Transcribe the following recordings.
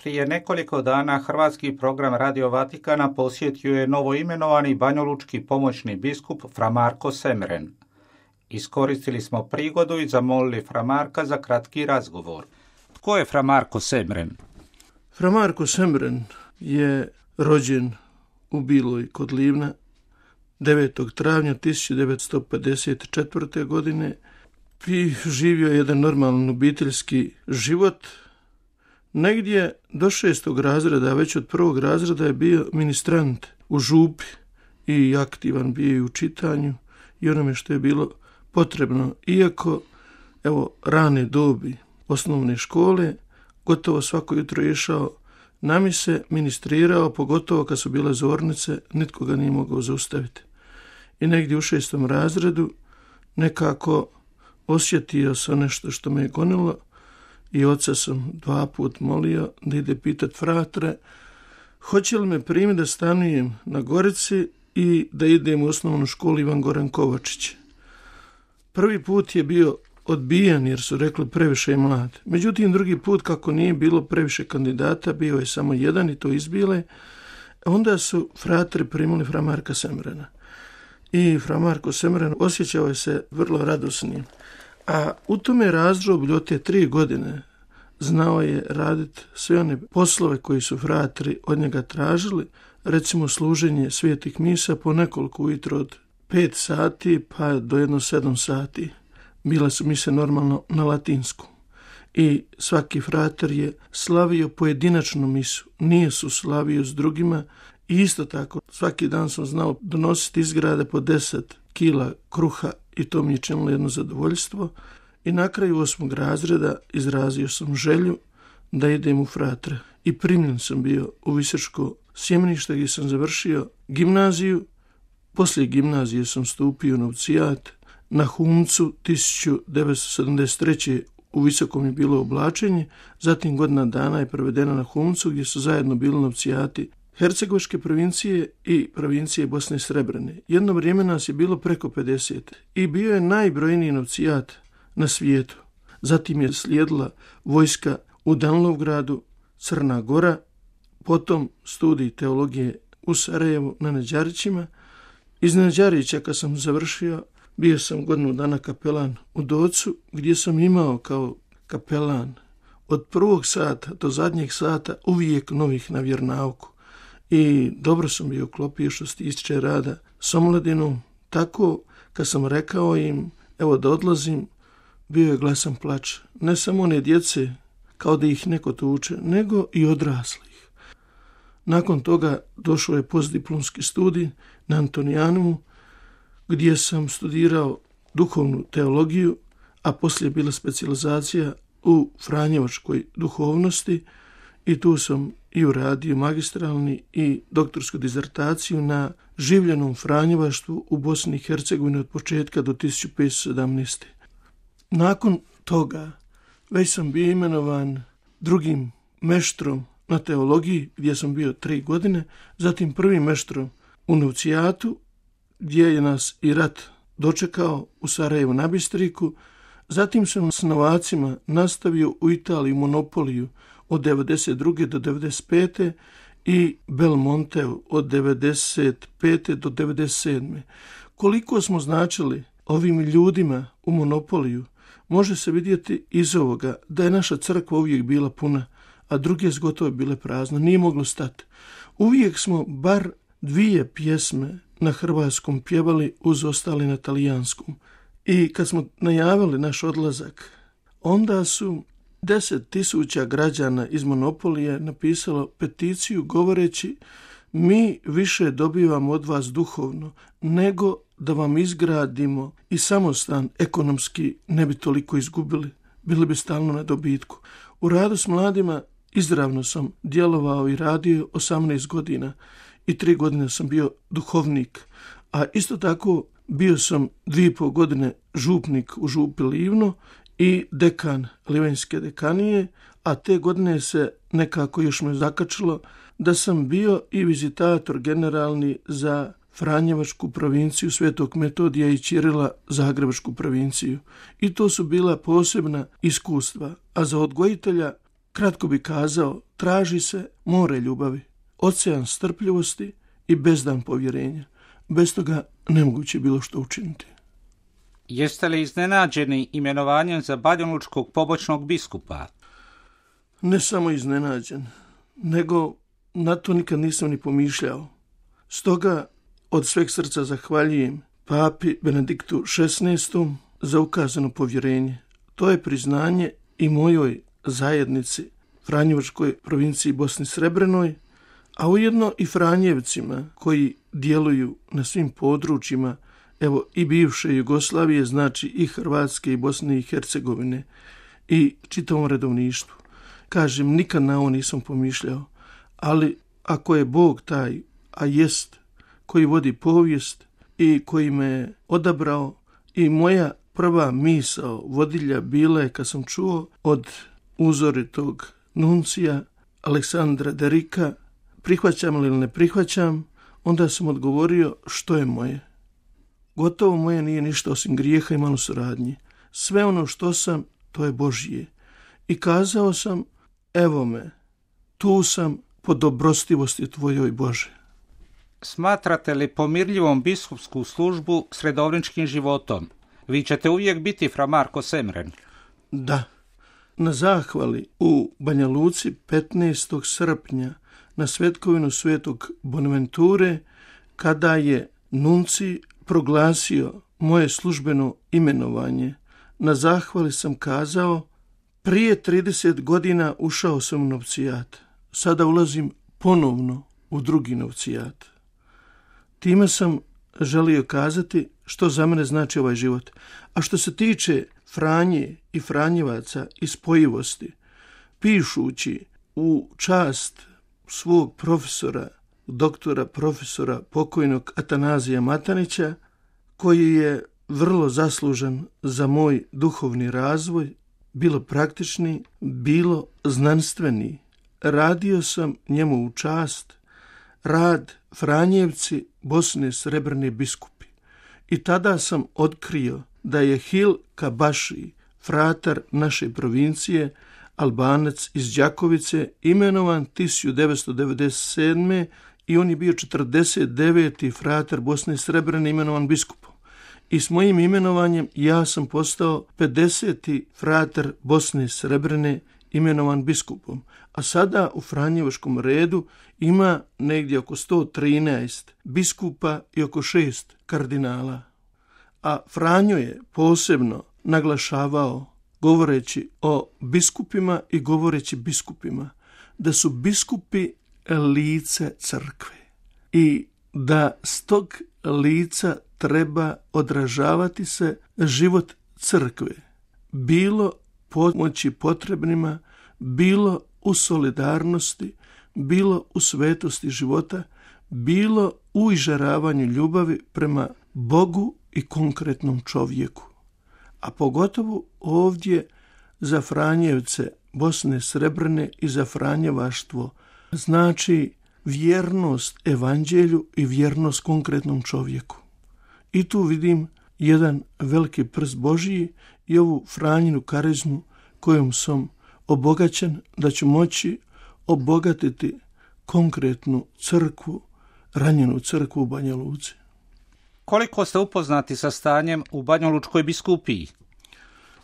Prije nekoliko dana hrvatski program Radio Vatikana posjetio je novoimenovani banjalučki pomoćni biskup Fra Marko Semren. Iskoristili smo prigodu i zamolili Fra Marka za kratki razgovor. Tko je Fra Marko Semren? Fra Marko Semren je rođen u Biloj kod Livna 9. travnja 1954. godine i živio jedan normalan obiteljski život. Negdje do 6. razreda, već od 1. razreda je bio ministrant u župi i aktivan bio i u čitanju i onome što je bilo potrebno. Iako, rane dobi osnovne škole, gotovo svako jutro je išao na mise, ministrirao, pogotovo kad su bile zornice, nitko ga nije mogao zaustaviti. I negdje u 6. razredu nekako osjetio sam nešto što me je gonilo i oca sam 2 puta molio da ide pitat fratre hoće li me primiti da stanujem na Gorici i da idem u osnovnu školu Ivan Goran Kovačić. Prvi put je bio odbijen jer su rekli previše je mlad. Međutim, drugi put kako nije bilo previše kandidata, bio je samo jedan i to izbile, onda su fratri primili Fra Marka Semrena. I Fra Marko Semren osjećao je se vrlo radosnim. A u tome razdoblju od te 3 godine znao je raditi sve one poslove koji su fratri od njega tražili, recimo služenje svetih misa po nekoliko ujutro od 5 sati pa do 7 sati. Bile su mise normalno na latinsku. I svaki frater je slavio pojedinačnu misu, nije su slavio s drugima. I isto tako, svaki dan sam znao donositi iz grada po 10 kila kruha i to mi je činilo jedno zadovoljstvo. I na kraju 8. razreda izrazio sam želju da idem u fratre. I primljen sam bio u Visočko sjemenište gdje sam završio gimnaziju. Poslije gimnazije sam stupio u novcijat. Na Humcu 1973. u Visokom je bilo oblačenje. Zatim godina dana je provedena na Humcu gdje su zajedno bili novcijati Hercegovačke provincije i provincije Bosne i Srebrene. Jedno vrijeme nas je bilo preko 50 i bio je najbrojniji novcijat na svijetu. Zatim je slijedila vojska u Danlovgradu, Crna Gora, potom studij teologije u Sarajevu na Neđarićima. Iz Neđarića kad sam završio, bio sam godinu dana kapelan u Docu, gdje sam imao kao kapelan od prvog sata do zadnjeg sata uvijek novih na vjernauku. I dobro sam bio uklopio što se tiče rada s omladinom. Tako kad sam rekao im da odlazim, bio je glasan plač. Ne samo one djece kao da ih neko tuče, nego i odraslih. Nakon toga došao je postdiplomski studij na Antonijanumu gdje sam studirao duhovnu teologiju, a poslije je bila specijalizacija u franjevačkoj duhovnosti i tu sam i uradio magistralni i doktorsku dizertaciju na življenom franjevaštvu u Bosni i Hercegovini od početka do 1517. Nakon toga već sam bio imenovan drugim meštrom na teologiji gdje sam bio 3 godine, zatim prvim meštrom u novcijatu gdje je nas i rat dočekao u Sarajevu na Bistriku. Zatim sam s novacima nastavio u Italiji monopoliju od 92. do 95. i Belmonteu od 95. do 97. Koliko smo značili ovim ljudima u monopoliju, može se vidjeti iz ovoga da je naša crkva uvijek bila puna, a druge zgotove bile prazne, nije moglo stati. Uvijek smo bar 2 pjesme na hrvatskom pjevali uz ostali na talijanskom. I kad smo najavili naš odlazak, onda su 10.000 građana iz monopolije napisalo peticiju govoreći mi više dobivamo od vas duhovno nego da vam izgradimo i samostan ekonomski ne bi toliko izgubili, bili bi stalno na dobitku. U radu s mladima izravno sam djelovao i radio 18 godina i 3 godine sam bio duhovnik, a isto tako bio sam 2,5 godine župnik u župi Livno i dekan Livanjske dekanije, a te godine se nekako još me zakačilo da sam bio i vizitator generalni za Franjevačku provinciju Svetog Metodija i Ćirila Zagrebačku provinciju. I to su bila posebna iskustva, a za odgojitelja Kratko bi kazao, traži se more ljubavi, ocean strpljivosti i bezdan povjerenja. Bez toga nemoguće bilo što učiniti. Jeste li iznenađeni imenovanjem za banjalučkog pomoćnog biskupa? Ne samo iznenađen, nego na to nikad nisam ni pomišljao. Stoga od sveg srca zahvaljujem papi Benediktu XVI za ukazano povjerenje. To je priznanje i mojoj zajednici Franjevačkoj provinciji Bosni Srebrenoj, a ujedno i Franjevcima koji djeluju na svim područjima, evo i bivše Jugoslavije, znači i Hrvatske i Bosne i Hercegovine i čitavom redovništvu. Kažem, nikad na ovo nisam pomišljao, ali ako je Bog taj, a jest, koji vodi povijest i koji me odabrao, i moja prva misao vodilja bila je kad sam čuo od uzoritog nuncija Aleksandra Derika prihvaćam ili ne prihvaćam, onda sam odgovorio što je moje. Gotovo moje nije ništa osim grijeha i malo suradnje. Sve ono što sam, to je Božje. I kazao sam, evo me, tu sam po dobrostivosti tvojoj Bože. Smatrate li pomirljivom biskupsku službu s redovničkim životom? Vi ćete uvijek biti fra Marko Semren. Da. Na zahvali u Banja Luci 15. srpnja na svetkovinu svetog Bonaventure, kada je nunci proglasio moje službeno imenovanje, na zahvali sam kazao, prije 30 godina ušao sam u novcijat, sada ulazim ponovno u drugi novcijat. Time sam želio kazati što za mene znači ovaj život. A što se tiče Franje i Franjevaca i spojivosti, pišući u čast svog profesora, doktora profesora pokojnog Atanazija Matanića, koji je vrlo zaslužan za moj duhovni razvoj, bilo praktični, bilo znanstveni. Radio sam njemu u čast rad Franjevci Bosne Srebrne biskupi. I tada sam otkrio da je Hil Kabaši, fratar naše provincije, Albanac iz Đakovice, imenovan 1997. i on je bio 49. fratar Bosne Srebrene imenovan biskupom. I s mojim imenovanjem ja sam postao 50. fratar Bosne Srebrene imenovan biskupom. A sada u Franjevačkom redu ima negdje oko 113 biskupa i oko 6 kardinala. A Franjo je posebno naglašavao, govoreći o biskupima i govoreći biskupima, da su biskupi lice crkve i da s tog lica treba odražavati se život crkve, bilo pomoći potrebnima, bilo u solidarnosti, bilo u svetosti života, bilo u izžaravanju ljubavi prema Bogu i konkretnom čovjeku. A pogotovo ovdje za Franjevce Bosne Srebrne i za Franjevaštvo znači vjernost evanđelju i vjernost konkretnom čovjeku. I tu vidim jedan veliki prst Božiji i ovu Franjinu karizmu kojom sam obogaćen da ću moći obogatiti konkretnu crkvu, ranjenu crkvu u Banja Luci. Koliko ste upoznati sa stanjem u Banjalučkoj biskupiji?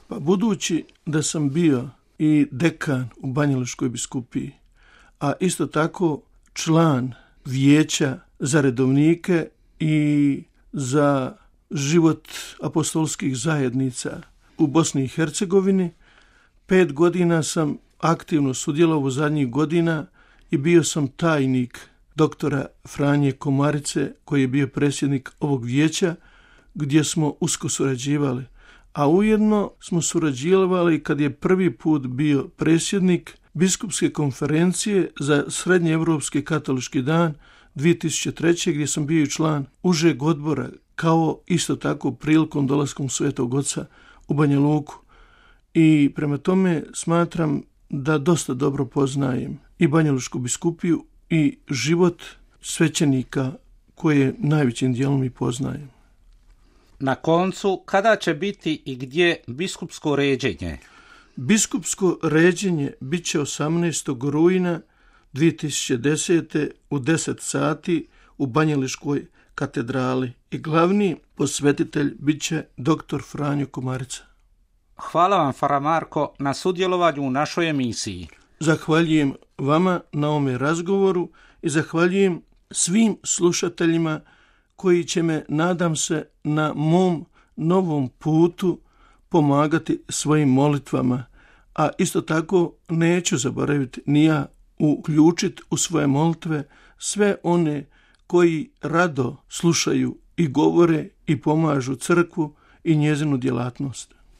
Pa budući da sam bio i dekan u Banjalučkoj biskupiji, a isto tako član vijeća za redovnike i za život apostolskih zajednica u Bosni i Hercegovini, 5 godina sam aktivno sudjelovao u zadnjih godina i bio sam tajnik doktora Franje Komarice, koji je bio predsjednik ovog vijeća, gdje smo usko surađivali. A ujedno smo surađivali kad je prvi put bio predsjednik biskupske konferencije za Srednjeevropski katolički dan 2003. gdje sam bio član užeg odbora, kao isto tako prilikom dolaskom Svetog Oca u Banja Luku. I prema tome smatram da dosta dobro poznajem i Banjalučku biskupiju i život svećenika koje najvećim dijelom i poznajem. Na koncu, kada će biti i gdje biskupsko ređenje? Biskupsko ređenje bit će 18. rujna 2010. u 10 sati u Banjalučkoj katedrali i glavni posvetitelj bit će dr. Franjo Komarica. Hvala vam, Fra Marko, na sudjelovanju u našoj emisiji. Zahvaljujem vama na ovome razgovoru i zahvaljujem svim slušateljima koji će me, nadam se, na mom novom putu pomagati svojim molitvama, a isto tako neću zaboraviti ni ja uključiti u svoje molitve sve one koji rado slušaju i govore i pomažu crkvu i njezinu djelatnost.